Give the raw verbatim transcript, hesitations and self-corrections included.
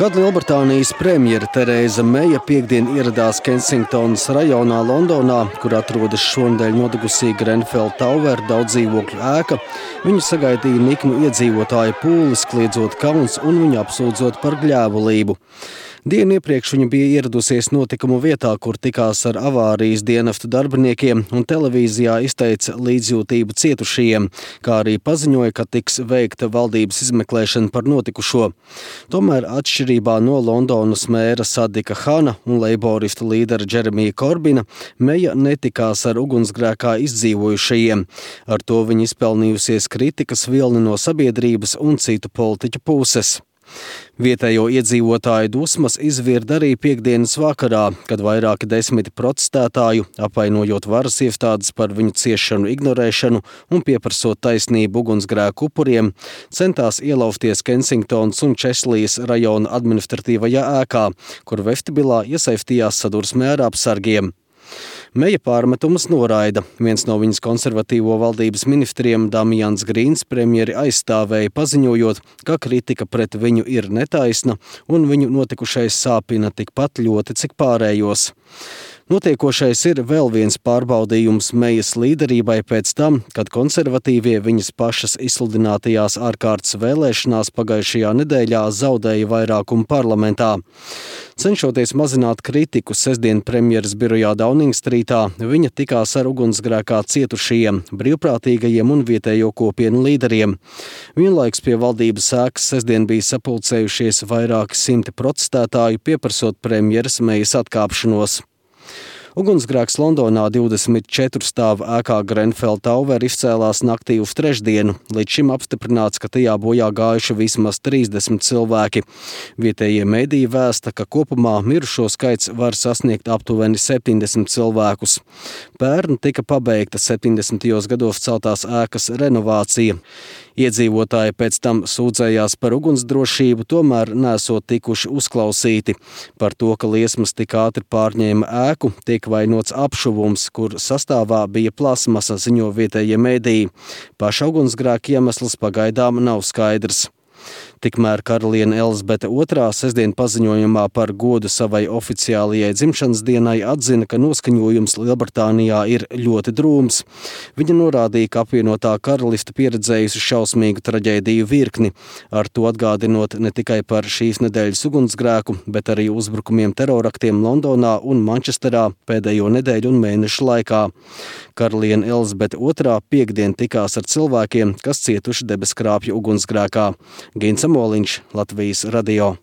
Kad Lielbritānijas premjere Terēza Meija piektdien ieradās Kensingtonas rajonā Londonā, kur atrodas šonedēļ nodegusī Grenfell Tower daudzdzīvokļu ēka, viņu sagaidīja niknu iedzīvotāju pūlis, kliedzot kauns un viņu apsūdzot par gļēvulību. Dienu iepriekš viņa bija ieradusies notikumu vietā, kur tikās ar avārijas dienestu darbiniekiem un televīzijā izteica līdzjūtību cietušajiem, kā arī paziņoja, ka tiks veikta valdības izmeklēšana par notikušo. Tomēr atšķirībā no Londonas mēra Sadika Hana un leiboristu līdera Džeremija Korbina, Meija netikās ar ugunsgrēkā izdzīvojušajiem. Ar to viņa izpelnījusies kritikas vilni no sabiedrības un citu politiķu puses. Vietējo iedzīvotāju dusmas izvirda arī piektdienas vakarā, kad vairāki desmiti protestētāju, apvainojot varas iestādes par viņu ciešanu ignorēšanu un pieprasot taisnību ugunsgrēku upuriem, centās ielaufties Kensingtonas un Česlijas rajona administratīvajā ēkā, kur vestibilā iesaistījās sadursmē ar apsargiem. Meija pārmetumus noraida. Viens no viņas konservatīvo valdības ministriem, Damians Grīns, premjeri aizstāvēja, paziņojot, ka kritika pret viņu ir netaisna un viņu notikušais sāpina tikpat ļoti, cik pārējos. Notiekošais ir vēl viens pārbaudījums Meijas līderībai pēc tam, kad konservatīvie viņas pašas izsludinātajās ārkārtas vēlēšanās pagājušajā nedēļā zaudēja vairākumu parlamentā. Cenšoties mazināt kritiku sestdien premjeras birojā Dauningstrītā, viņa tikās ar ugunsgrēkā cietušajiem, brīvprātīgajiem un vietējo kopienu līderiem. Vienlaiks pie valdības ēkas sestdien bija sapulcējušies vairāki simti protestētāju, pieprasot premjeras Meijas atkāpšanos. Ugunsgrēks Londonā divdesmit četru stāvu ēkā Grenfell Tower izcēlās naktī uz trešdienu. Līdz šim apstiprināts, ka tajā bojā gājuši vismaz trīsdesmit cilvēki. Vietējie mediji vēsta, ka kopumā mirušo skaits var sasniegt aptuveni septiņdesmit cilvēkus. Pērn tika pabeigta septiņdesmitajos gados celtās ēkas renovācija. Iedzīvotāji pēc tam sūdzējās par ugunsdrošību, tomēr nesot tikuši uzklausīti. Par to, ka liesmas tik ātri pārņēma ēku, tiek vainots apšuvums, kur sastāvā bija plasmasa, ziņo vietējie mediji. Paša ugunsgrēka iemesls pagaidām nav skaidrs. Tikmēr karaliene Elizabete otrā sestdien paziņojumā par godu savai oficiālajai dzimšanas dienai atzina, ka noskaņojums Lielbritānijā ir ļoti drūms. Viņa norādīja, ka apvienotā karaliste pieredzējusi šausmīgu traģēdiju virkni, ar to atgādinot ne tikai par šīs nedēļas ugunsgrēku, bet arī uzbrukumiem teroraktiem Londonā un Mančesterā pēdējo nedēļu un mēnešu laikā. Karaliene Elizabete otrā piektdien tikās ar cilvēkiem, kas cietuši debeskrāpju ugunsgrēkā. Gints Moliņš, Latvijas radio.